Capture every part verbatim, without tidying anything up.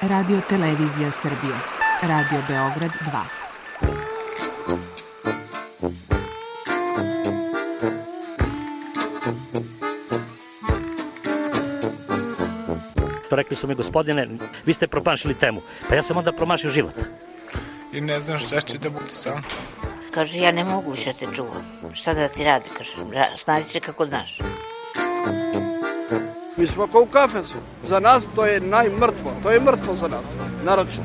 Radio Televizija Srbije. Radio Beograd dva. Rekli su mi, gospodine, vi ste promašili temu. Pa ja sam onda promašio život. I ne znam šta će da bude sam. Kaže, ja ne mogu više te čuvam. Šta da ti radi, kaže, snađi se kako znaš. Mi smo kao u kafesu. Za nas to je najmrtvo. To je mrtvo za nas, naročito.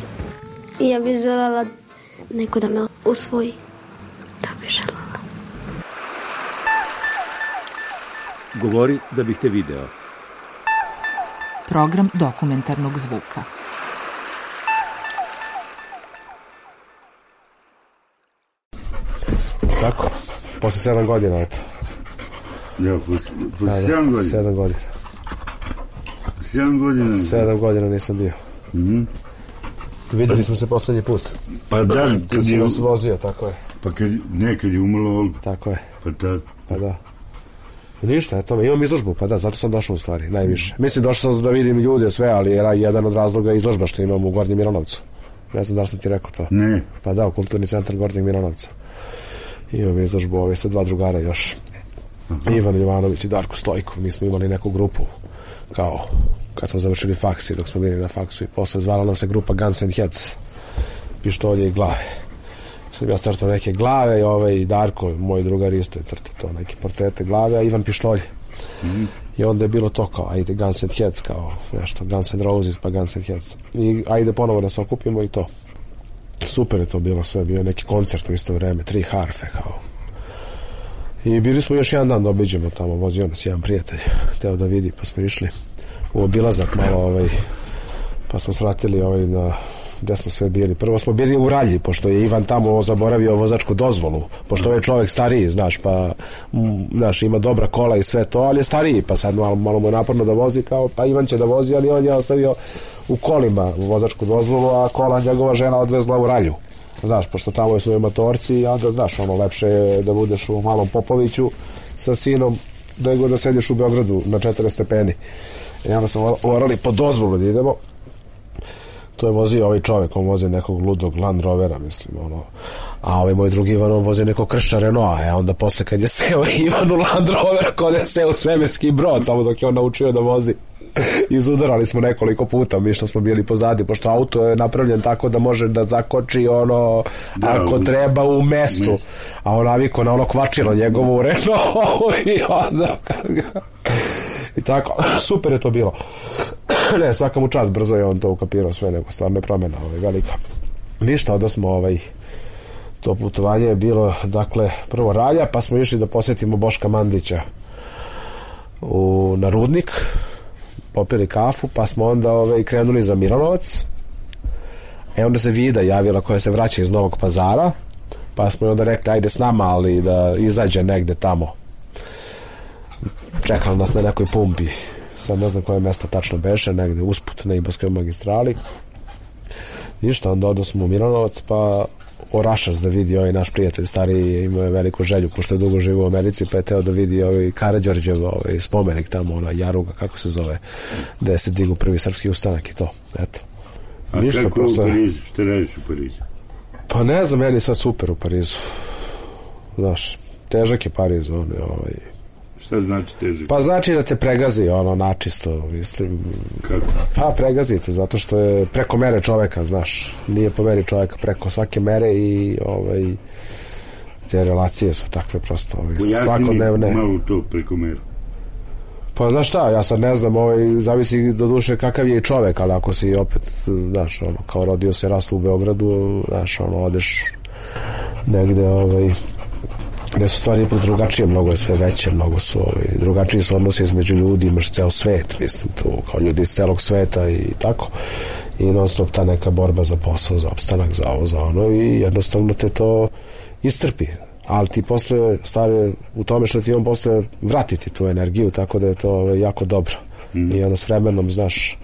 I ja bih želela neko da me usvoji. To bih želela. Govori da bih te video. Program dokumentarnog zvuka. Tako, posle sedam godina, eto. Ja, posle, posle da, sedam godina? Sedam godina. Sedam godina? Sedam godina nisam bio. Mm-hmm. Videli smo se poslednji put. Pa da, kad, kad si nas vozio, tako je. Pa kad, ne, kad je umrlo Olga. Tako je. Pa tad. Pa da. I ništa, eto, imam izložbu, pa da, zato sam došao u stvari, najviše. Mislim, došao sam da vidim ljude, sve, ali je jedan od razloga je izložba što imam u Gornjem Milanovcu. Ne znam da li sam ti rekao to. Ne. Pa da, u Kulturni centar Gornjeg Milanovca. Imam izložbu ove sa dva drugara još. Aha. Ivan Jovanović i Darko Stojkov. Mi smo imali neku grupu, kao, kad smo završili faks i dok smo bili na faksu i posle zvala nam se grupa Guns and Heads. Pištolje i glave. Sam ja crtao neke glave i ovaj i Darko, moj drugar isto je crtao to, neke portrete glave, a Ivan pištolje. Mm-hmm. I onda je bilo to kao, ajde Guns and Heads, kao nešto, Guns and Roses pa Guns and Heads. I ajde ponovo da se okupimo i to. Super je to bilo sve, bio neki koncert u isto vreme, tri harfe, kao. I bili smo još jedan dan da obiđemo tamo, vozio nas jedan prijatelj, hteo da vidi, pa smo išli u obilazak malo, ovaj, pa smo svratili ovaj na... gde smo sve bili. Prvo smo bili u Ralji, pošto je Ivan tamo zaboravio vozačku dozvolu, pošto je čovjek stariji, znaš, pa m, znaš, ima dobra kola i sve to, ali je stariji, pa sad malo, malo mu je naporno da vozi, kao, pa Ivan će da vozi, ali on je ostavio u kolima vozačku dozvolu, a kola njegova žena odvezla u Ralju. Znaš, pošto tamo su motorci i onda, znaš, ono, lepše je da budeš u Malom Popoviću sa sinom, nego da sediš u Beogradu na četrdeset stepeni. I onda smo morali po dozvolu da idemo. To je vozio ovaj čovjek, on vozi nekog ludog Land Rovera, mislim, ono. A ovaj moj drugi Ivan, on vozi nekog kršća Renaulta, e onda posle kad je seo Ivan u Land Rovera, kod je seo u svemirski brod, samo dok je on naučio da vozi. Izudarali smo nekoliko puta, mi što smo bili pozadi, pošto auto je napravljen tako da može da zakoči ono, da, ako u, treba u mestu, u a on naviko na ono kvačilo njegovo u Renault i onda i tako, super je to bilo. Ne, svaka mu čast, brzo je on to ukapirao sve, nego stvarno je promjena ovaj, velika. Ništa, onda smo ovaj, to putovanje je bilo, dakle, prvo Ralja, pa smo išli da posjetimo Boška Mandića u, na Rudnik, popili kafu, pa smo onda ovaj, krenuli za Milanovac. E onda se Vida javila koja se vraća iz Novog Pazara, pa smo onda rekli ajde s nama, ali da izađe negde tamo. Čekala nas na nekoj pumpi, sad ne znam koje mesto tačno beše, negde usput na Ibarskoj magistrali. Ništa, onda odo smo u Milanovac, pa Orašac da vidi ovaj naš prijatelj stariji, imao je veliku želju, pošto je dugo živo u Americi, pa je teo da vidi ovaj Karađorđev ovaj spomenik tamo, ona Jaruga, kako se zove, gde se digu prvi srpski ustanak i to, eto. A ništa, kako posle... u Parizu, što radiš u Parizu? Pa ne znam, meni sad super u Parizu. Znaš, težak je Pariz, on je ovaj... Šta znači težak? Pa znači da te pregazi, ono, načisto, mislim. Kako? Pa pregazite, zato što je preko mere čoveka, znaš, nije po meri čoveka, preko svake mere i, ovaj, te relacije su takve prosto, ovaj, svakodnevne. Pojasni mi malo to preko mere. Pa znaš šta, ja sad ne znam, ovaj, zavisi do duše kakav je i čovek, ali ako si opet, znaš, ono, kao rodio se rastu u Beogradu, znaš, ono, odeš negde, ovaj, gde su stvari ipak drugačije, mnogo je sve veće, mnogo su ovaj, drugačiji su odnosi između ljudi, imaš ceo svet, mislim, tu, kao ljudi iz celog sveta i tako, i non stop ta neka borba za posao, za opstanak, za ovo, za ono, i jednostavno te to iscrpi, ali ti posle stvari u tome što ti on posle vratiti tu energiju, tako da je to ovaj, jako dobro. Mm. I onda s vremenom, znaš,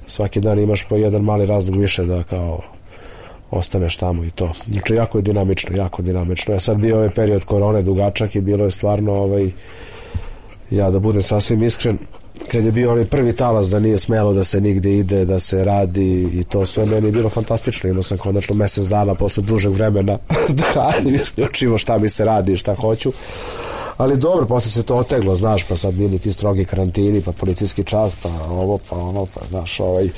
svaki dan imaš po jedan mali razlog više da kao ostaneš tamo i to. Znači, jako je dinamično, jako dinamično. Ja sad bio ovaj period korone dugačak i bilo je stvarno ovaj, Ja da budem sasvim iskren, kad je bio onaj prvi talas da nije smelo da se nigde ide, da se radi i to sve, meni je bilo fantastično. Imao sam konačno mesec dana posle dužeg vremena da radim isključivo šta mi se radi i šta hoću. Ali dobro, posle se to oteglo, znaš, pa sad bili ti strogi karantini, pa policijski čas, pa ovo, pa ono, pa znaš, ovaj.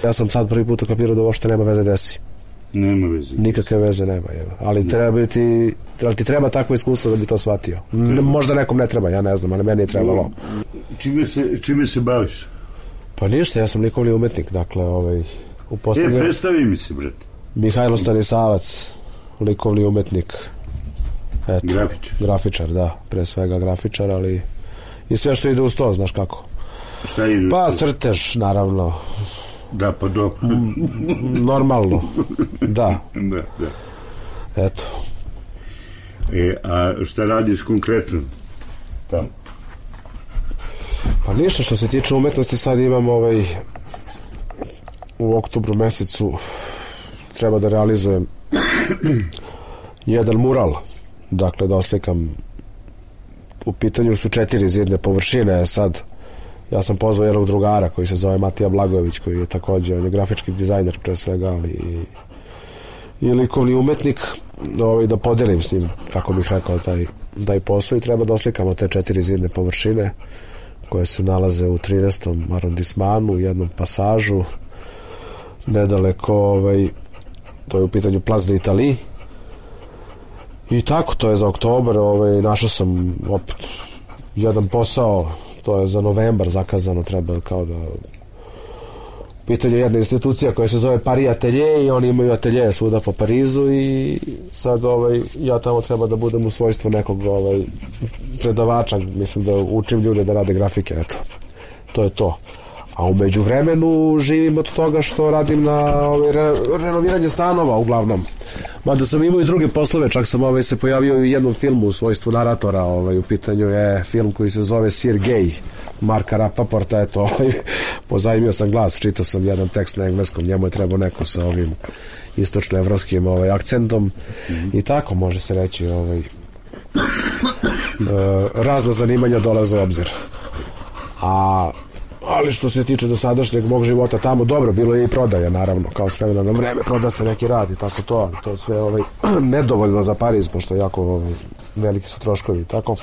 Ja sam sad prvi put ukapirao da uopšte nema veze desi. Nema veze. Nikakve veze nema, jeva. Ali treba ti, ali ti treba takvo iskustvo da bi to shvatio. Treba. Možda nekom ne treba, ja ne znam, ali meni je trebalo. Čime se, čime se baviš? Pa ništa, ja sam likovni umetnik, dakle, ovaj, u posljednje... E, predstavi mi se, brate. Mihajlo Stanisavac, likovni umetnik. Eto, grafičar. Grafičar, da, pre svega grafičar, ali i sve što ide uz to, znaš kako. Šta ide? Pa crtež, naravno. Da, pa dobro. Normalno, da. Da, da. Eto. E, a šta radiš konkretno tamo? Pa ništa, što se tiče umetnosti, sad imam ovaj u oktobru mesecu treba da realizujem jedan mural, dakle da oslikam, u pitanju su četiri zidne površine. Sad ja sam pozvao jednog drugara koji se zove Matija Blagojević, koji je takođe, on je grafički dizajner pre svega, ali i, i likovni umetnik, ovaj, da podelim s njim, kako bih rekao, taj, taj posao, i treba da oslikamo te četiri zidne površine koje se nalaze u trinaestom arondismanu, u jednom pasažu nedaleko, ovaj, to je u pitanju Plaza d'Italie. I tako, to je za oktobar, ovaj, našao sam opet jedan posao, to je za novembar zakazano, treba kao da pitanje jedna institucija koja se zove Paris Atelier, i oni imaju atelje svuda po Parizu, i sad ovaj, ja tamo treba da budem u svojstvu nekog ovaj, predavača, mislim da učim ljude da rade grafike, eto, to je to. A u međuvremenu živim od toga što radim na ovaj, re, renoviranje stanova uglavnom. Mada sam imao i druge poslove, čak sam ovaj, se pojavio u jednom filmu u svojstvu naratora, ovaj, u pitanju je film koji se zove Sir Gay, Marka Rapaporta, eto, ovaj, pozajmio sam glas, čitao sam jedan tekst na engleskom, njemu je trebao neko sa ovim istočnoevropskim ovaj, akcentom, mm-hmm. I tako može se reći, ovaj, e, razna zanimanja dolaze u obzir. A ali što se tiče dosadašnjeg mog života tamo, dobro, bilo je i prodaja, naravno, kao s vremena na vreme, proda se neki rad i tako to, ali to je sve ovaj, nedovoljno za Pariz, pošto jako ovaj, veliki su troškovi, tako.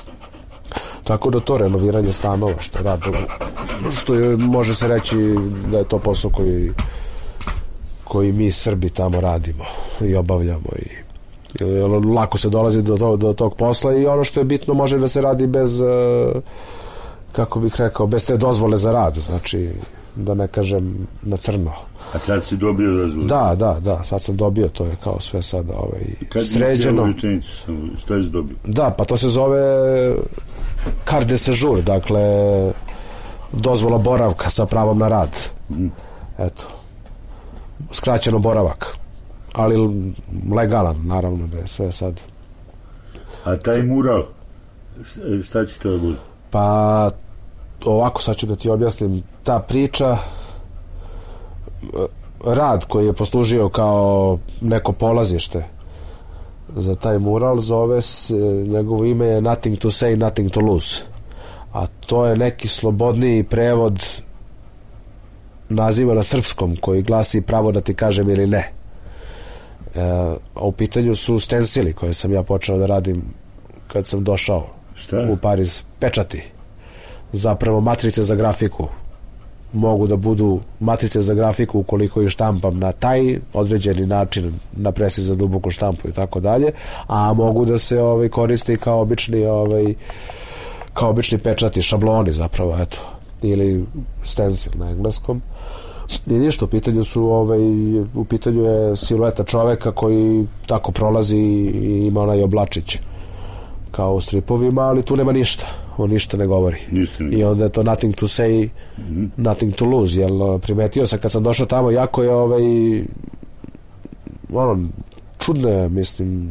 Tako da to renoviranje stanova, što radi, što je, može se reći da je to posao koji, koji mi Srbi tamo radimo i obavljamo, i, i lako se dolazi do, to, do tog posla, i ono što je bitno može da se radi bez... kako bih rekao, bez te dozvole za rad, znači, da ne kažem na crno. A sad si dobio dozvolu? Da, da, da, sad sam dobio, to je kao sve sada ovaj, kad sređeno. Kad je rečenicu, što je dobio? Da, pa to se zove carte de séjour, dakle, dozvola boravka sa pravom na rad. Mm. Eto, skraćeno boravak, ali legalan, naravno, da je sve sad. A taj mural, šta će to da bude? Pa ovako, sad ću da ti objasnim. Ta priča, rad koji je poslužio kao neko polazište za taj mural, zove se, njegovo ime je Nothing to say, nothing to lose, a to je neki slobodniji prevod naziva na srpskom koji glasi pravo da ti kažem ili ne. E, a u pitanju su stensili koje sam ja počeo da radim kad sam došao Šta? u Pariz, pečati, zapravo matrice za grafiku. Mogu da budu matrice za grafiku ukoliko ih štampam na taj određeni način, na presi za duboku štampu i tako dalje, a mogu da se ovaj, koriste kao obični ovaj, kao obični pečati, šabloni zapravo, eto, ili stencil na engleskom. I ništa, u pitanju su ovaj, u pitanju je silueta čoveka koji tako prolazi i ima onaj oblačić kao u stripovima, ali tu nema ništa, on ništa ne govori. Ništa ne. I onda je to nothing to say, mm-hmm. nothing to lose, jel primetio sam kad sam došao tamo, jako je ovaj ono, čudno je, mislim,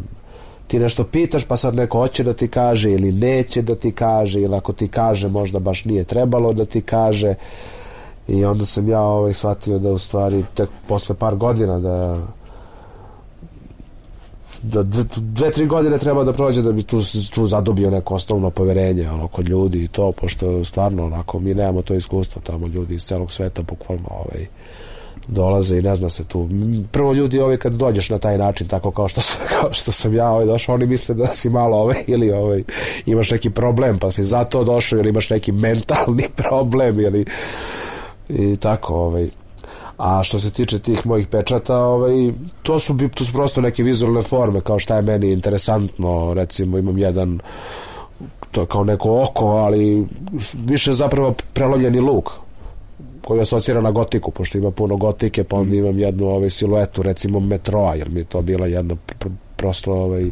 ti nešto pitaš pa sad neko hoće da ti kaže ili neće da ti kaže, ili ako ti kaže možda baš nije trebalo da ti kaže, i onda sam ja ovaj shvatio da u stvari tek posle par godina da da dve, dve, tri godine treba da prođe da bi tu, tu zadobio neko osnovno poverenje ono, kod ljudi i to, pošto stvarno onako mi nemamo to iskustvo tamo, ljudi iz celog sveta bukvalno ovaj, dolaze i ne zna se tu. Prvo ljudi ovaj, kad dođeš na taj način tako kao što sam, kao što sam ja ovaj, došao, oni misle da si malo ovaj, ili ovaj, imaš neki problem pa si zato došao ili imaš neki mentalni problem ili i tako ovaj. A što se tiče tih mojih pečata, ovaj, to su, to su prosto neke vizualne forme, kao šta je meni interesantno, recimo imam jedan, to je kao neko oko, ali više zapravo prelovljeni luk, koji asocira na gotiku, pošto ima puno gotike, pa onda imam jednu ovaj, siluetu, recimo metroa, jer mi je to bila jedna pr prosto ovaj,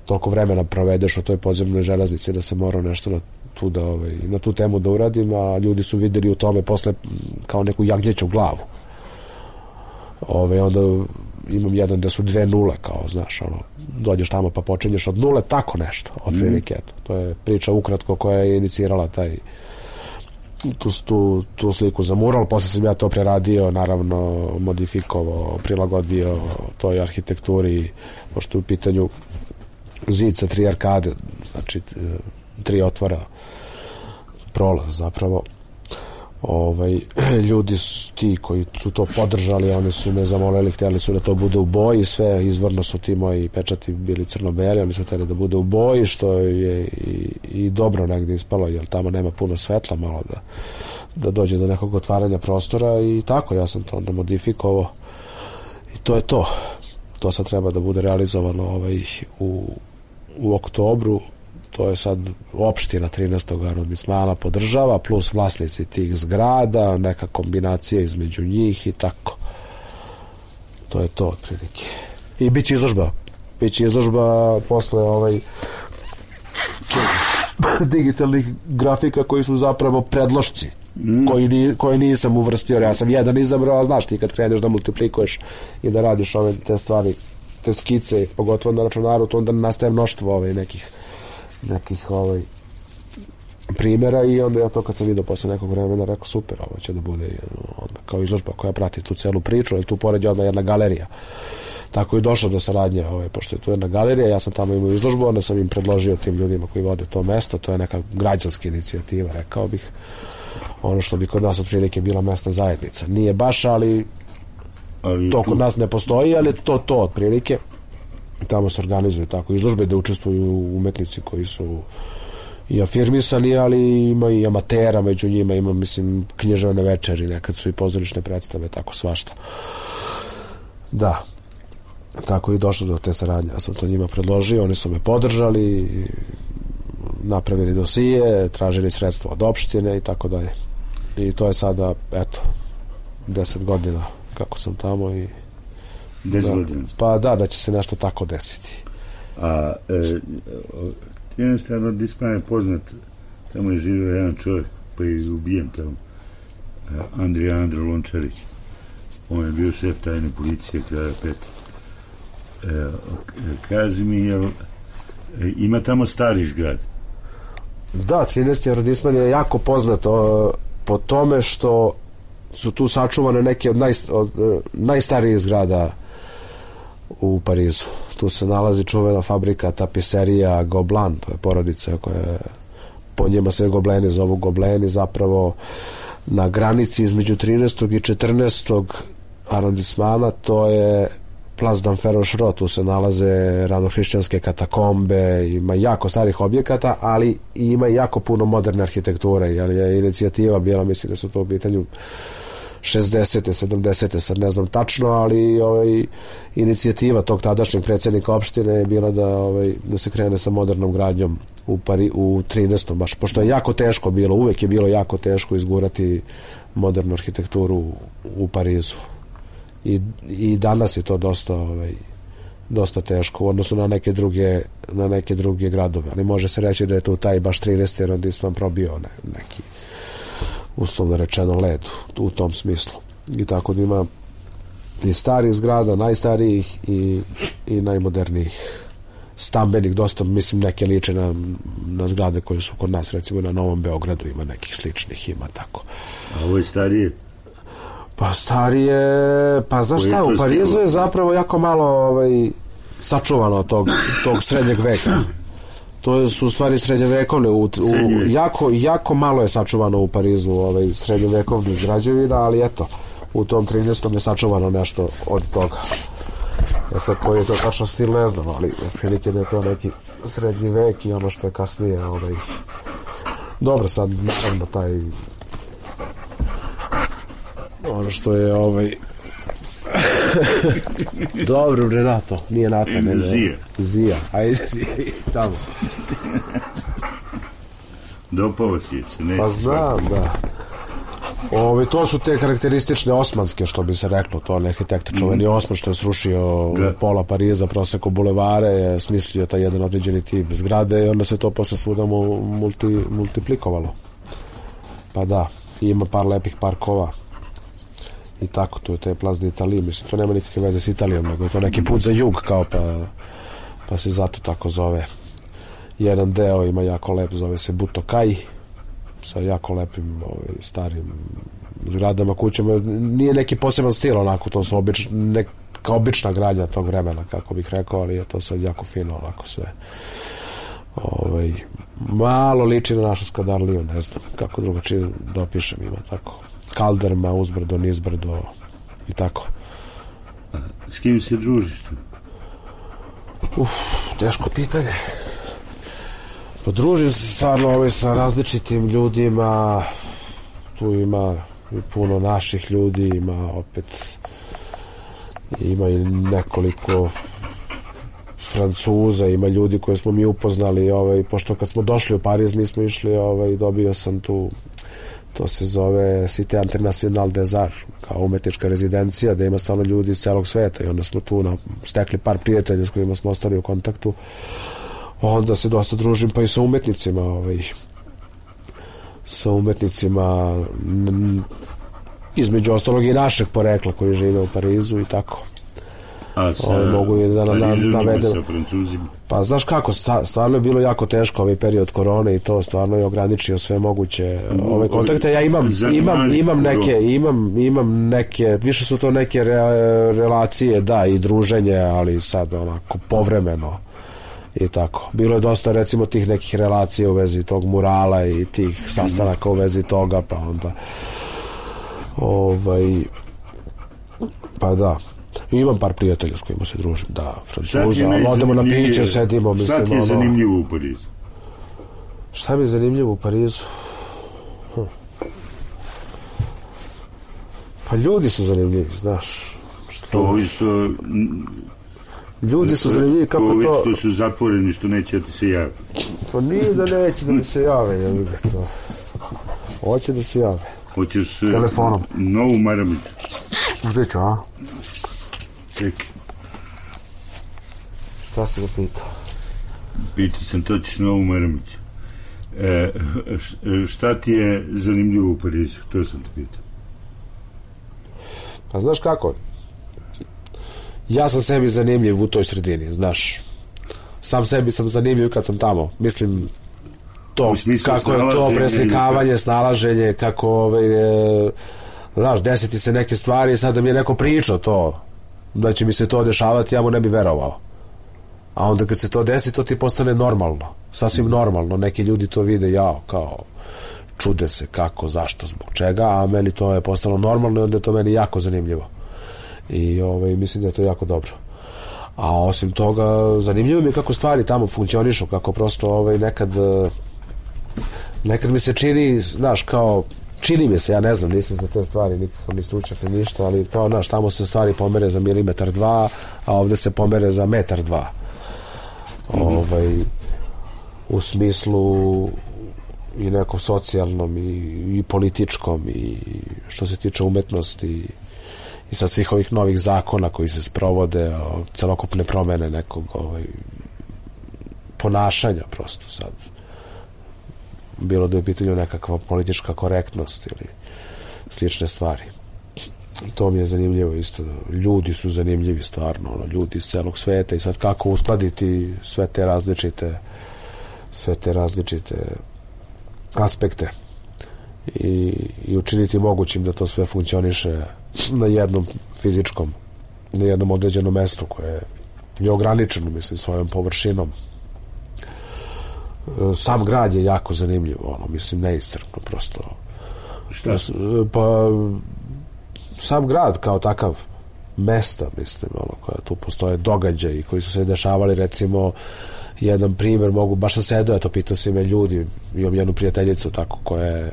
toliko vremena provedeš u toj podzemnoj železnici da se morao nešto na tu, da, ovaj, na tu temu da uradim, a ljudi su videli u tome posle kao neku jagnjeću glavu. Ove, onda imam jedan da su dve nule, kao, znaš, ono, dođeš tamo pa počinješ od nule, tako nešto, od prilike, mm. to je priča ukratko koja je inicirala taj, tu, tu, tu sliku za mural, posle sam ja to preradio, naravno, modifikovao, prilagodio toj arhitekturi, pošto u pitanju zid sa tri arkade, znači, tri otvora, prolaz, zapravo. Ovaj, ljudi su ti koji su to podržali, oni su me zamolili, htjeli su da to bude u boji, sve izvorno su ti moji pečati bili crno-beli, oni su htjeli da bude u boji, što je i, i dobro negdje ispalo, jer tamo nema puno svetla, malo da, da dođe do nekog otvaranja prostora i tako, ja sam to onda modifikovao i to je to. To sad treba da bude realizovano ovaj, u, u oktobru. To je sad opština trinaestog arondismana podržava, plus vlasnici tih zgrada, neka kombinacija između njih i tako. To je to, otprilike. I bit će izložba. Bit će izložba posle ovaj, digitalnih grafika koji su zapravo predlošci, mm. koji, ni, koji nisam uvrstio. Ja sam jedan izabrao, znaš ti kad kreneš da multiplikuješ i da radiš ove te stvari, te skice, pogotovo na računaru, to onda nastaje mnoštvo ovaj, nekih nekih ovaj primjera i onda ja to kad sam vidio posle nekog vremena rekao super, ovo će da bude onda, kao izložba koja prati tu celu priču, ali tu pored je odmah jedna galerija, tako i došlo do saradnje ovaj, pošto je tu jedna galerija, ja sam tamo imao izložbu, onda sam im predložio tim ljudima koji vode to mesto, to je neka građanska inicijativa, rekao bih, ono što bi kod nas otprilike bila mesna zajednica, nije baš, ali, ali to kod nas ne postoji, ali to to otprilike. Tamo se organizuju tako izložbe da učestvuju umetnici koji su i afirmisani, ali ima i amatera među njima, ima, mislim, književne večeri, nekad su i pozorišne predstave, tako svašta. Da, tako i došlo do te saradnje. Ja sam to njima predložio, oni su me podržali, napravili dosije, tražili sredstva od opštine i tako dalje. I to je sada, eto, deset godina kako sam tamo i Da, pa da, da će se nešto tako desiti. A e, jednostavno Dispan je poznat, tamo je živio jedan čovjek pa je ubijen tamo, Andrija Andro Lončarić, on je bio šef tajne policije kraja peta. E, kaži mi, jel, ima tamo stari zgrad? Da, trinaesti arondisman je jako poznat o, po tome što su tu sačuvane neke od, naj, od najstarijih zgrada u Parizu. Tu se nalazi čuvena fabrika tapiserija Gobelin, to je porodica koja je, po njima se Gobleni zovu Gobleni, zapravo na granici između trinaestog i četrnaestog arondismana, to je Place d'Enfer-Rochereau, tu se nalaze ranohrišćanske katakombe, ima jako starih objekata, ali ima jako puno moderne arhitekture, jer je inicijativa bila, mislim da su to u pitanju šezdesete, sedamdesete, sad ne znam tačno, ali ovaj, inicijativa tog tadašnjeg predsjednika opštine je bila da, ovaj, da se krene sa modernom gradnjom u, Pari, u trinaestom baš, pošto je jako teško bilo, uvek je bilo jako teško izgurati modernu arhitekturu u, u Parizu. I, i danas je to dosta ovaj, dosta teško u odnosu na neke druge na neke druge gradove, ali može se reći da je tu taj baš trinaesti arondisman probio ne, neki uslovno rečeno led u tom smislu. I tako da ima i starih zgrada, najstarijih i, i najmodernijih stambenih, dosta, mislim, neke liče na, na zgrade koje su kod nas, recimo na Novom Beogradu ima nekih sličnih, ima tako. A ovo je starije? Pa starije, pa znaš šta, u Parizu je zapravo jako malo ovaj, sačuvano tog, tog srednjeg veka. To su u stvari srednjovekovne, u, u, jako, jako malo je sačuvano u Parizu ovaj, srednjovekovnih građevina, ali eto, u tom trinaestom je sačuvano nešto od toga. Ja sad koji je to tačno stil ne znam, ali prilike da je to neki srednji vek i ono što je kasnije ovaj... Dobro, sad naravno taj ono što je ovaj dobro, Renato, nije Nata, ne, ne. Zija. Zija, ajde Zija, tamo. Dopao si se, neće. Pa znam, da. Ove, to su te karakteristične osmanske, što bi se reklo, to on arhitekta čuveni mm. Osman što je srušio da. pola Pariza, proseko bulevare, je smislio taj jedan određeni tip zgrade i onda se to posle svuda multi, multiplikovalo. Pa da, ima par lepih parkova i tako, to je te Place d'Italie, mislim, to nema nikakve veze s Italijom, nego je to neki put za jug, kao pa, pa se zato tako zove. Jedan deo ima jako lep, zove se Butokaj, sa jako lepim ovaj, starim zgradama, kućama. Nije neki poseban stil onako, to su obič, neka obična gradnja tog vremena, kako bih rekao, ali je to sad jako fino onako sve. Ovaj, malo liči na našu Skadarliju, ne znam kako drugačije dopišem, ima tako kalderma, uzbrdo, nizbrdo i tako. S kim se družiš tu? Uf, teško pitanje. Podružim se stvarno ovaj, sa različitim ljudima, tu ima puno naših ljudi, ima opet ima i nekoliko Francuza, ima ljudi koje smo mi upoznali, ovaj, pošto kad smo došli u Pariz mi smo išli, ovaj, dobio sam tu, to se zove Cité Internationale des Arts, kao umetnička rezidencija, da ima stvarno ljudi iz celog sveta i onda smo tu na, stekli par prijatelja s kojima smo ostali u kontaktu. Onda se dosta družim pa i sa umetnicima, ovaj, sa umetnicima m, između ostalog i našeg porekla koji žive u Parizu i tako. A sa ovaj, mogu i da na, na, navedem. Sa Francuzima? Pa znaš kako, stvarno je bilo jako teško ovaj period korone i to stvarno je ograničio sve moguće ove kontakte. Ja imam, imam, imam neke, imam, imam neke, više su to neke re, relacije, da, i druženje, ali sad onako povremeno. I tako. Bilo je dosta recimo tih nekih relacija u vezi tog murala i tih sastanaka u vezi toga, pa onda ovaj pa da. I imam par prijatelja s kojima se družim, da, Francuza, ali odemo na piće, sedimo, mislim, šta ti je ono, zanimljivo u Parizu? Šta mi je zanimljivo u Parizu? Hm. Pa ljudi su zanimljivi, znaš. To što ljudi su zanimljivi kako to... To što su zatvoreni, što neće da ti se jave. Pa nije da neće da mi se jave, ja bih to. Hoće da se jave. Hoćeš telefonom. Novu maramicu. Gdje ću, a? Čekaj. Šta si ga pitao? Pitao sam, to ćeš novu maramicu. E, šta ti je zanimljivo u Parizu? To sam te pitao. Pa znaš kako? Ja sam sebi zanimljiv u toj sredini, znaš. Sam sebi sam zanimljiv kad sam tamo. Mislim, to, kako je to preslikavanje, snalaženje, kako, ovaj, e, znaš, desiti se neke stvari, sad da mi je neko pričao to, da će mi se to dešavati, ja mu ne bi verovao. A onda kad se to desi, to ti postane normalno. Sasvim normalno. Neki ljudi to vide, jao, kao, čude se kako, zašto, zbog čega, a meni to je postalo normalno i onda je to meni jako zanimljivo. I ovaj, mislim da je to jako dobro. A osim toga, zanimljivo mi je kako stvari tamo funkcionišu, kako prosto ovaj, nekad nekad mi se čini, znaš, kao čini mi se, ja ne znam, nisam za te stvari nikakav ni stručnjak ni ništa, ali kao, znaš, tamo se stvari pomere za milimetar dva, a ovde se pomere za metar dva. Mm-hmm. Ovaj, u smislu i nekom socijalnom i, i političkom i što se tiče umetnosti i sa svih ovih novih zakona koji se sprovode, celokupne promene nekog ovaj, ponašanja prosto sad. Bilo da je u pitanju nekakva politička korektnost ili slične stvari. To mi je zanimljivo isto. Ljudi su zanimljivi stvarno, ono, ljudi iz celog sveta i sad kako uskladiti sve te različite sve te različite aspekte i, i učiniti mogućim da to sve funkcioniše na jednom fizičkom, na jednom određenom mestu koje je ograničen, mislim, svojom površinom. Sam grad je jako zanimljiv, ono, mislim, neiscrpno, prosto. Šta? Pa, sam grad kao takav, mesta, mislim, ono, koja tu postoje događaji koji su se dešavali, recimo, jedan primjer mogu, baš sam sedao, eto, pitao si me ljudi, imam jednu prijateljicu tako koja je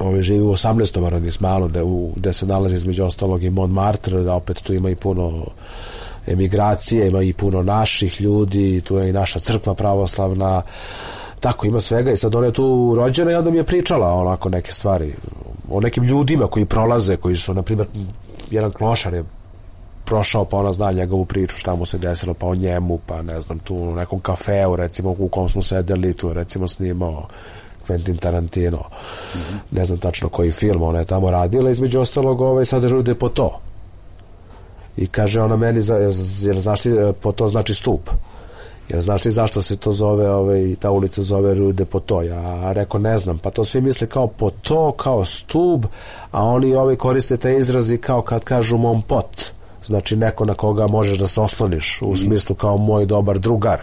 ove, živi u osamnaestom arondismanu gde, gde se nalazi između ostalog i Montmartre, da opet tu ima i puno emigracije, ima i puno naših ljudi, tu je i naša crkva pravoslavna, tako ima svega i sad ona je tu rođena i onda mi je pričala onako neke stvari o nekim ljudima koji prolaze, koji su, na primjer, jedan klošar je prošao, pa ona zna njegovu priču, šta mu se desilo, pa o njemu, pa ne znam, tu u nekom kafeu, recimo, u kom smo sedeli, tu recimo snimao Quentin Tarantino, mm-hmm. ne znam tačno koji film ona je tamo radila, između ostalog ovaj, sad rude po to. I kaže ona meni, jer znaš li, po to znači stup. Jer znaš li zašto se to zove, ovaj, ta ulica zove Rue de Poteau? Ja rekao, ne znam, pa to svi misle kao Poteau, kao stub, a oni ovaj koriste te izrazi kao kad kažu mon pot, znači neko na koga možeš da se osloniš, u smislu kao moj dobar drugar.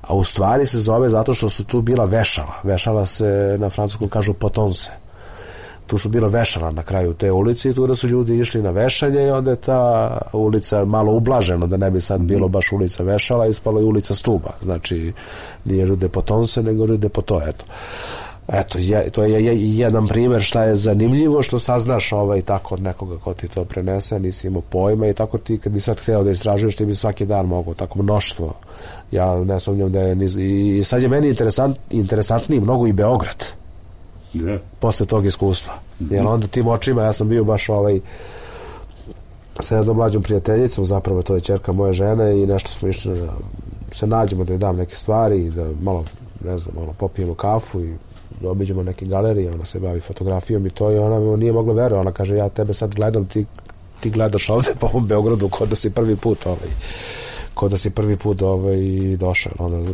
A u stvari se zove zato što su tu bila vešala. Vešala se, na francuskom kažu potonse. Tu su bila vešala na kraju te ulice i tu da su ljudi išli na vešanje i onda je ta ulica malo ublažena, da ne bi sad bilo baš ulica vešala, ispalo je ulica stuba. Znači, nije Rue de Potonse, nego Rue de Poteau, eto. Eto, je, to je, je jedan primjer šta je zanimljivo, što saznaš ovaj, tako od nekoga ko ti to prenese, nisi imao pojma i tako ti, kad bi sad hteo da istražuješ, ti bi svaki dan mogao, tako mnoštvo. Ja ne sumnjam da je, niz, i, i sad je meni interesant, interesantniji mnogo i Beograd. Da. Posle tog iskustva. Mm-hmm. Jer onda tim očima, ja sam bio baš ovaj sa jednom mlađom prijateljicom, zapravo to je ćerka moje žene i nešto smo išli da se nađemo, da joj dam neke stvari i da malo, ne znam, malo popijemo kafu i da obiđemo neke galerije, ona se bavi fotografijom i to i ona nije mogla verovati, ona kaže ja tebe sad gledam, ti, ti gledaš ovde po ovom Beogradu kod da si prvi put ovaj, kod da si prvi put ovaj, došao, ona,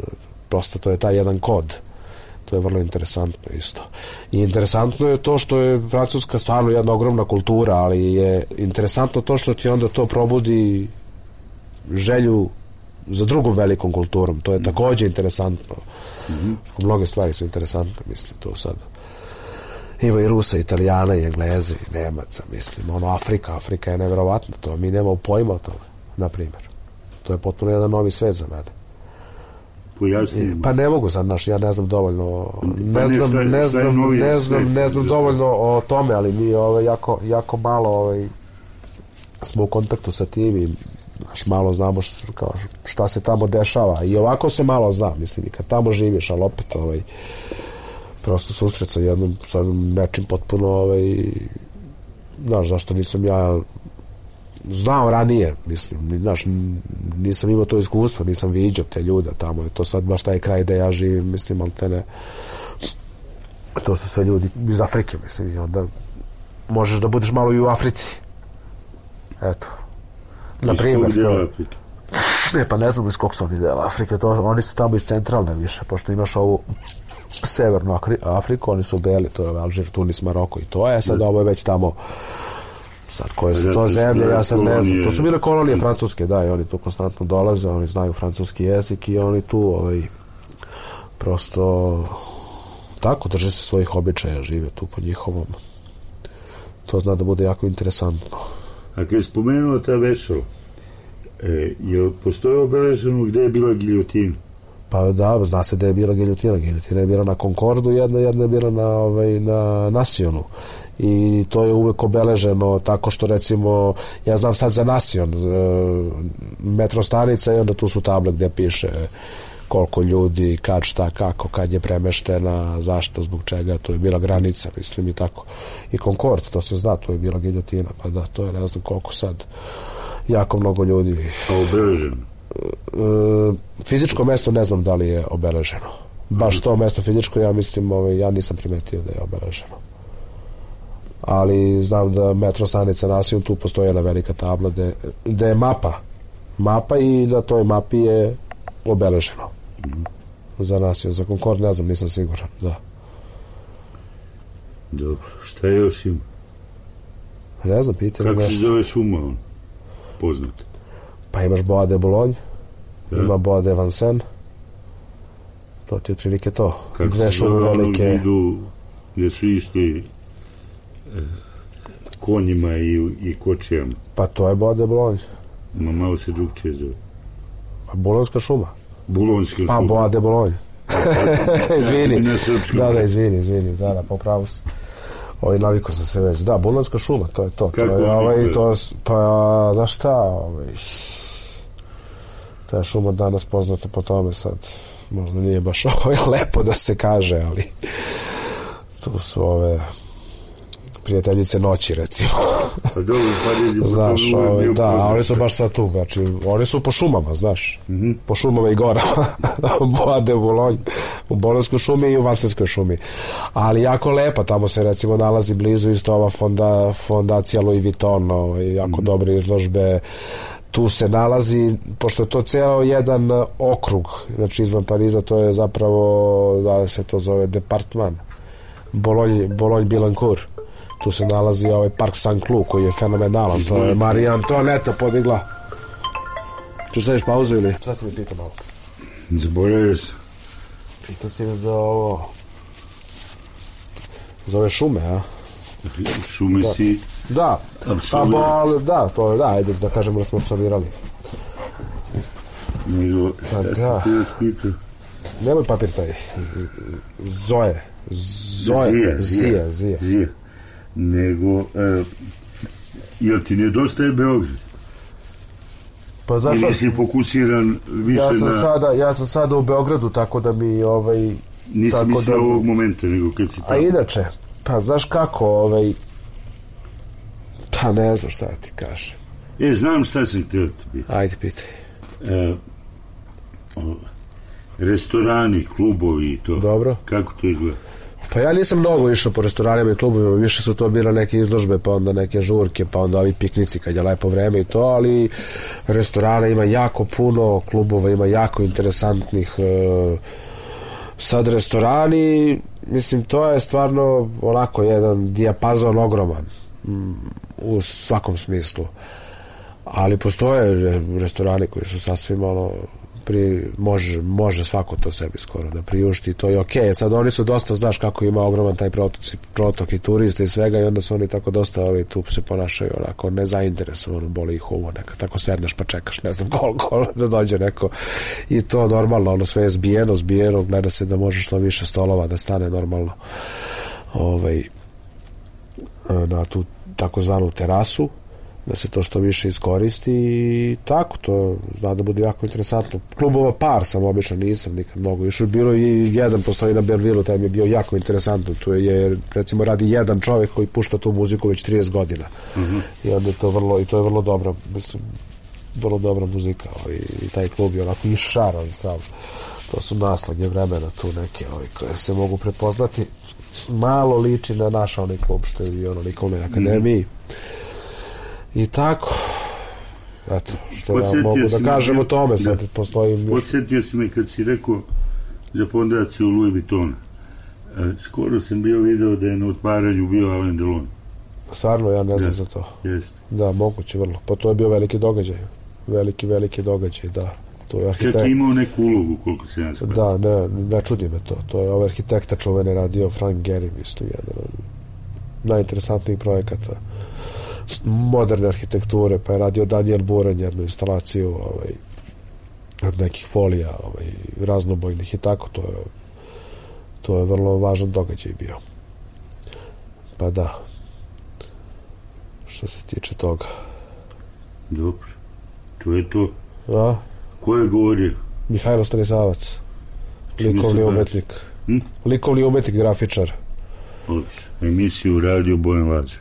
prosto to je taj jedan kod. To je vrlo interesantno isto. I interesantno je to što je Francuska stvarno jedna ogromna kultura, ali je interesantno to što ti onda to probudi želju za drugom velikom kulturom. To je takođe interesantno. Mm-hmm. Mnoge stvari su interesantne, mislim, to sad. Ima i Rusa, Italijana, i Engleze, i Nemaca, mislim. Ono, Afrika, Afrika je neverovatno to. Mi nemamo pojma o tome, na primjer. To je potpuno jedan novi svet za mene. Pojasnimo. Pa ne mogu sad, naš, ja ne znam dovoljno, ne znam, ne znam, ne znam, ne znam dovoljno o tome, ali mi ovaj, jako, jako malo ovaj, smo u kontaktu sa tim i naš, malo znamo šta, kao, šta se tamo dešava i ovako se malo zna, mislim, i kad tamo živiš, ali opet ovaj, prosto susret sa jednom, sa nečim potpuno ovaj, znaš, zašto nisam ja znao ranije, mislim, znaš, nisam imao to iskustvo, nisam viđao te ljude tamo, je to sad baš taj kraj gde ja živim, mislim, ali te ne, to su sve ljudi iz Afrike, mislim, i onda možeš da budeš malo i u Africi, eto, na primjer, ne, pa ne znam iz kog su oni dela Afrike, to, oni su tamo iz centralne više, pošto imaš ovu severnu Afriku, oni su beli, to je Alžir, Tunis, Maroko i to je, sad ovo je već tamo. Sad, koje su to zemlje, ja sad ne znam. To su bile kolonije francuske, da, i oni tu konstantno dolaze, oni znaju francuski jezik i oni tu ovaj, prosto tako drže se svojih običaja, žive tu po njihovom. To zna da bude jako interesantno. A kad je spomenuo ta vešala, e, je postoje obeleženo gde je bila giljotina? Pa da, zna se da je bila giljotina. Giljotina je bila na Concordu, jedna, jedna je bila na, ovaj, na Nasionu. I to je uvek obeleženo tako što recimo, ja znam sad za Nasion, metro stanica i onda tu su table gde piše koliko ljudi, kad, šta, kako, kad je premeštena, zašto, zbog čega, to je bila granica, mislim i tako. I Concord, to se zna, to je bila giljotina, pa da, to je ne znam koliko sad, jako mnogo ljudi. A obeleženo? Fizičko mesto ne znam da li je obeleženo. Baš to mesto fizičko, ja mislim, ovaj, ja nisam primetio da je obeleženo. Ali znam da metro stanica Nasion, tu postoji jedna velika tabla gde, gde je mapa mapa i na toj mapi je obeleženo mm. za Nasion, za Concord ne znam, nisam siguran, da. Dobro, šta još ima? Ne znam, pitam kako se zove šuma on? Poznat? Pa imaš Bois de Boulogne, Da. ima Bois de Vincennes, to ti je otprilike to. Kako Dve se šume zove ono velike. gdje idu, gdje su išli e, konjima i, i kočijama. Pa to je Bois de Boulogne. Ma malo se drugčije zove. Pa Bulonska šuma. Bulonska Pa šuma. Bois de Boulogne. Izvini. Na srpskom. Da, da, izvini, izvini. Da, da, popravo sam. Ovaj, navikao sam se već. Da, Bulonska šuma, to je to. Kako to je, ovaj, navikao? to, s- pa, znaš šta, ovaj, ta je šuma danas poznata po tome sad. Možda nije baš ovaj, lepo da se kaže, ali tu su ove prijateljice noći, recimo. Pa dobro, pa rezi, Znaš, po tome ovaj, bio da, a poznat. oni su baš sad tu, znači, oni su po šumama, znaš, Mhm. po šumama i gorama, u Bois de Boulogne, u Bolonskoj šumi i u Vansenskoj šumi, ali jako lepa, tamo se recimo nalazi blizu isto ova fonda, fondacija Louis Vuitton, ovaj, jako dobre izložbe, tu se nalazi, pošto je to ceo jedan uh, okrug, znači izvan Pariza, to je zapravo, da se to zove departman, Bologne, Bologne Billancourt. Tu se nalazi ovaj park Saint-Cloud koji je fenomenalan, to je Marija Antoaneta podigla. Ču staviš pauzu ili? Šta si mi pitao malo? Zaboravio sam. Pitao si mi za ovo... Za ove šume, a? Šume Da. si Da, pa apsolvirao. bol, da, to je, da, ajde da kažemo da smo apsolvirali. Nego, Pa šta da. sam ti pitao? Nemoj papir taj. Zoe. Zoe. Zija, Zija, Zija. Zija. Nego, e, jel ti nedostaje Beograd? Pa znaš, Ili si fokusiran više ja sam na... sada, ja sam sada u Beogradu, tako da mi ovaj... Nisam tako mislio da- ovog momenta, nego kad si A tamo. inače, pa znaš kako, ovaj... Pa ne znam šta ti kažem. E, znam šta sam htio ti biti. Ajde, pitaj. E, o, restorani, klubovi i to. Dobro. Kako to izgleda? Pa ja nisam mnogo išao po restoranima i klubovima, više su to bile neke izložbe, pa onda neke žurke, pa onda ovi piknici kad je lepo vreme i to, ali restorana ima jako puno, klubova ima jako interesantnih. E, sad restorani, mislim, to je stvarno onako jedan dijapazon ogroman mm, u svakom smislu. Ali postoje re- restorani koji su sasvim ono pri, može, može svako to sebi skoro da priušti, to je okej. Sad oni su dosta, znaš kako ima ogroman taj protok, protok i turista i svega i onda su oni tako dosta ovi, tu se ponašaju onako nezainteresovano, boli ih uvo neka, tako sedneš pa čekaš ne znam koliko da dođe neko i to normalno, ono sve je zbijeno, zbijeno, gleda se da može što više stolova da stane normalno ovaj, na tu takozvanu terasu, da se to što više iskoristi i tako, to zna da bude jako interesantno. Klubova par sam obično, nisam nikad mnogo išao, bilo i jedan postoji na Berlilu, taj mi je bio jako interesantno, tu je, recimo radi jedan čovjek koji pušta tu muziku već trideset godina Mhm. i onda je to vrlo, i to je vrlo dobra, mislim, vrlo dobra muzika ovaj, i taj klub je onako išaran sam, to su naslage vremena tu neke ovaj, koje se mogu prepoznati, malo liči na naš onaj klub što je i ono likovnoj akademiji. I tako, eto, što ja Podsjetio mogu si da me- kažem o tome, sad da. postoji još... Podsjetio si me kad si rekao za fondaciju Louis Vuitton. E, skoro sam bio video da je na otvaranju bio Alain Delon. Stvarno, ja ne znam Da. za to. Jeste. Da, moguće vrlo. Pa to je bio veliki događaj. Veliki, veliki događaj, da. To je Čak arhitekt... je imao neku ulogu, koliko se ja shvatio. Da, ne, ne čudi me to. To je ovaj arhitekta čuveni radio, Frank Gehry, isto jedan od najinteresantnijih projekata moderne arhitekture, pa je radio Daniel Buren jednu instalaciju ovaj, od nekih folija ovaj, raznobojnih i tako, to je to je vrlo važan događaj bio. Pa da, što se tiče toga. Dobro. To je to. A? Ko je govorio? Mihajlo Stanisavac, Čime se likovni bavi? umetnik. Hm? Likovni umetnik, grafičar. Odlično. Emisiju Radio Bojan Lađe.